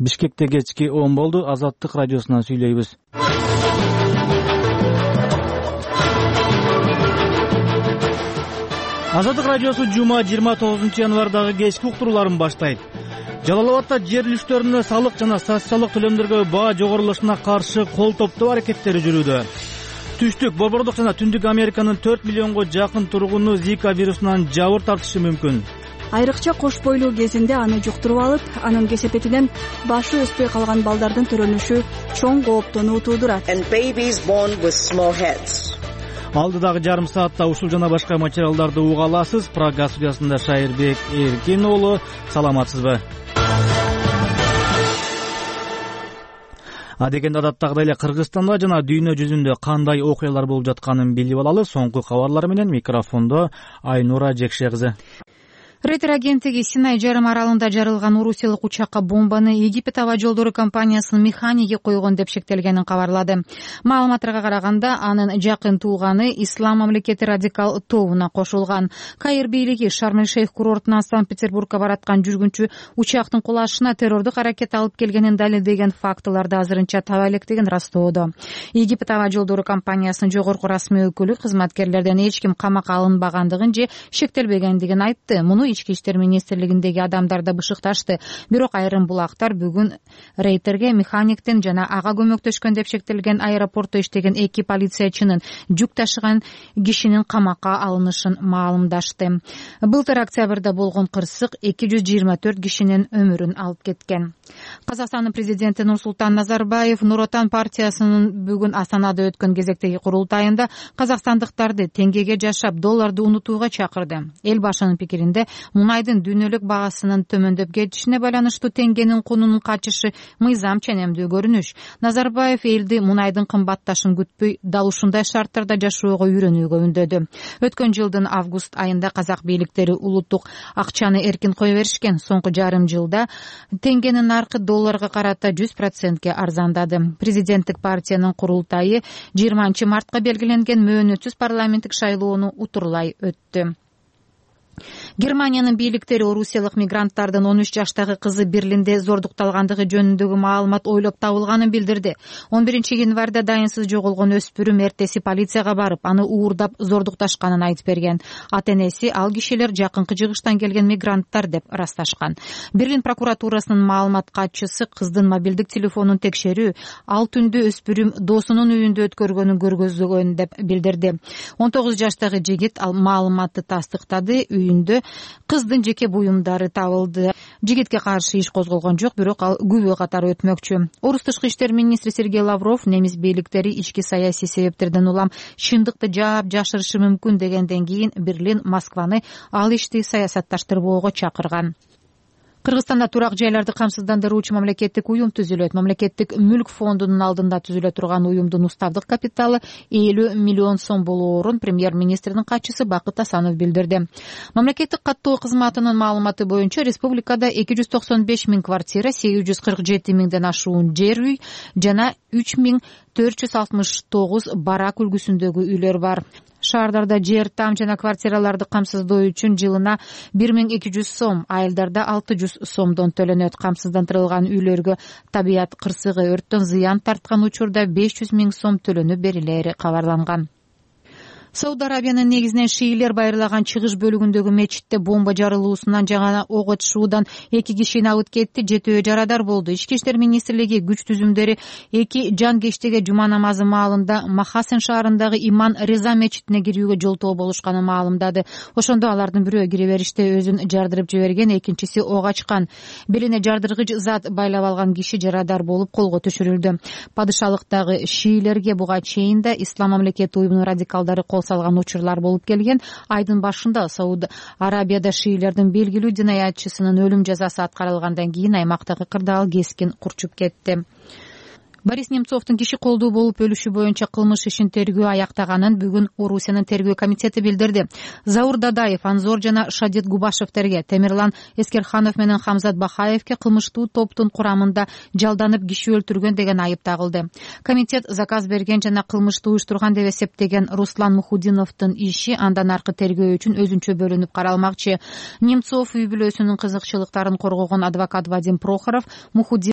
Бишкекте кечки 10 болду. Азаттык радиосунан сүйлөйбүз. Азаттык радиосу жума 29 январдагы кечки уктурууларын баштайт. Жалал Абадта жер үлүштөрүнө салык жана социалдык төлөмдөргө баа жогорулашына каршы кол топтоо аракеттери жүрүүдө. Түштүк, Борбордук жана Түндүк Американын 4 миллионго жакын тургуну Зика вирусунан жабыр тартышы мүмкүн. Айрыкча кош бойлуу кезинде аны жуктуруп алып, анын кесепетинен башы өспөй калган балдардын төрөнүшү чоң кооптону туудурат. Алдыдагы жарым саатта ушул жана башка материалдарды уга аласыз. Прага студиясында Шайырбек Эркин уулу. Саламатсызбы? Адегенде адаттагыдай эле Кыргызстанда жана дүйнө жүзүндө кандай окуялар болуп жатканын билип алалы. Соңку кабарлар менен микрофондо Айнура Жекше кызы. Рейтер агенттиги Синай жарым аралында жарылган орусиялык учакка бомбаны Египет аба жолдору компаниясынын механиги койгон деп шектелгенин кабарлады. Маалыматтарга караганда, анын жакын тууганы Ислам мамлекети радикал тобуна кошулган. Каир бийлиги Шарм-эль-Шейх курортунан Санкт-Петербургка бараткан жүргүнчү учактын кулашына террордук аракет алып келгенин далилдеген фактыларды азырынча таба электигин растоодо. Египет аба жолдору компаниясынын жогорку расмий өкүлү кызматкерлерден эч ким камакка алынбагандыгын же шектелбегендигин айтты. Муну Ички иштер министрлигиндеги адамдар да бышыкташты. Бирок айрым булактар бүгүн Рейтерге механиктин жана ага көмөктөшкөн деп шектелген аэропортто иштеген 2 полициячынын жүк ташыган кишинин камакка алынышын маалымдашты. Былтыр октябрда болгон кырсык 224 кишинин өмүрүн алып кеткен. Казакстандын президенти Нурсултан Назарбаев Нур Отан партиясынын бүгүн Астанада өткөн кезектеги курултайында казакстандыктарды теңгеге жашап, долларды унутууга чакырды. Эл башынын пикиринде мунайдын дүйнөлүк багасынын төмөндөп кетишине байланыштуу теңгенин кунунун качышы мыйзам ченемдүү көрүнүш. Назарбаев элди мунайдын кымбатташын күтпөй, дал ушундай шарттарда жашоого үйрөнүүгө үндөдү. Өткөн жылдын август айында казак бийликтери улуттук акчаны эркин кое беришкен. Соңку жарым жылда теңгенин наркы долларга карата 100%ке арзандады. Президенттик партиянын курултайы 20 мартка белгиленген мөөнөтсүз парламенттик шайлоону утурлай өттү. Германиянын бийликтери орусиялык мигранттардын 13 жаштагы кызы Берлинде зордукталгандыгы жөнүндөгү маалымат ойлоп табылганын билдирди. 11 январда дайынсыз жоголгон өспүрүм эртеси полицияга барып, аны уурдап зордукташканын айтып берген. Ата-энеси ал кишилер жакынкы жыгыштан келген мигранттар деп ырасташкан. Берлин прокуратурасынын маалымат катчысы кыздын мобилдик телефонун текшерүү ал түндү өспүрүм досунун үйүндө өткөргөнүн көргөзгөн деп билдирди. 19 жаштагы жигит ал маалыматты тастыктады. Үйүндө кыздын жеке буюмдары табылды. Жигитке каршы иш козголгон жок, бирок ал күбө катары өтмөкчү. Орус тышкы иштер министри Сергей Лавров немис бийликтери ички саясий себептерден улам чындыкты жаап жашырышы мүмкүн дегенден кийин Берлин Москваны ал ишти саясатташтырбоого чакырган. Кыргызстанда турак жайларды камсыздандыруучу мамлекеттик уюм түзүлөт. Мамлекеттик мүлк фондунун алдында түзүлө турган уюмдун уставдык капиталы 50 миллион сом болоорун премьер-министрдин катчысы Бакыт Асанов билдирди. Мамлекеттик каттоо кызматынын маалыматы боюнча республикада 295 миң квартира, 847 миңден ашуун жер үй жана 3469 барак үлгүсүндөгү үйлөр бар. Шаардарда жер, там жана квартираларды камсыздоо үчүн жылына 1200 сом, айылдарда 600 сомдон төлөнөт. Камсыздандырылган үйлөргө табият кырсыгы, өрттөн зыян тарткан учурда 500 миң сом төлөнүп берилери кабарланган. Сауд Арабиянын негизинен шиилер байырлаган чыгыш бөлүгүндөгү мечитте бомба жарылуусунан жана ок атышуудан 2 кишини алып кетти, 7 жарадар болду. Ички иштер министрлиги күч түзүмдөрү 2 жан жума намазы маалында Махасен шаарындагы Иман Реза мечитине кирүүгө жолтоо болушканын маалымдады. Ошондо алардын бирөө кире бериште өзүн жардырып жиберген, экинчиси ок ачкан. Белине жардыргыч зат байлап алган киши жарадар болуп колго түшүрүлдү. Падышалыктагы шиилерге буга чейин да Ислам мамлекети уюмунун радикалдары салган учурлар болуп келген. Айдын башында Сауд Арабияда шиилердин белгилүү динаятчысынын өлүм жазасы аткарылгандан кийин аймактагы кырдаал кескин курчуп кетти. Борис Немцовдун киши колдуу болуп өлүшү боюнча кылмыш ишин тергөө аяктаганын бүгүн Орусиянын тергөө комитети билдирди. Заур Дадаев, Анзор жана Шадет Губашевтерге, Темирлан Эскерханов менен Хамзат Бахаевке кылмыштуу топтун курамында жалданып киши өлтүргөн деген айып тагылды. Комитет заказ берген жана кылмышты уюштурган деп эсептеген Руслан Мухудиновдун иши андан аркы тергөө үчүн өзүнчө бөлүнүп каралмакчы. Немцов үй бүлөсүнүн кызыкчылыктарын коргогон адвокат Вадим Прохоров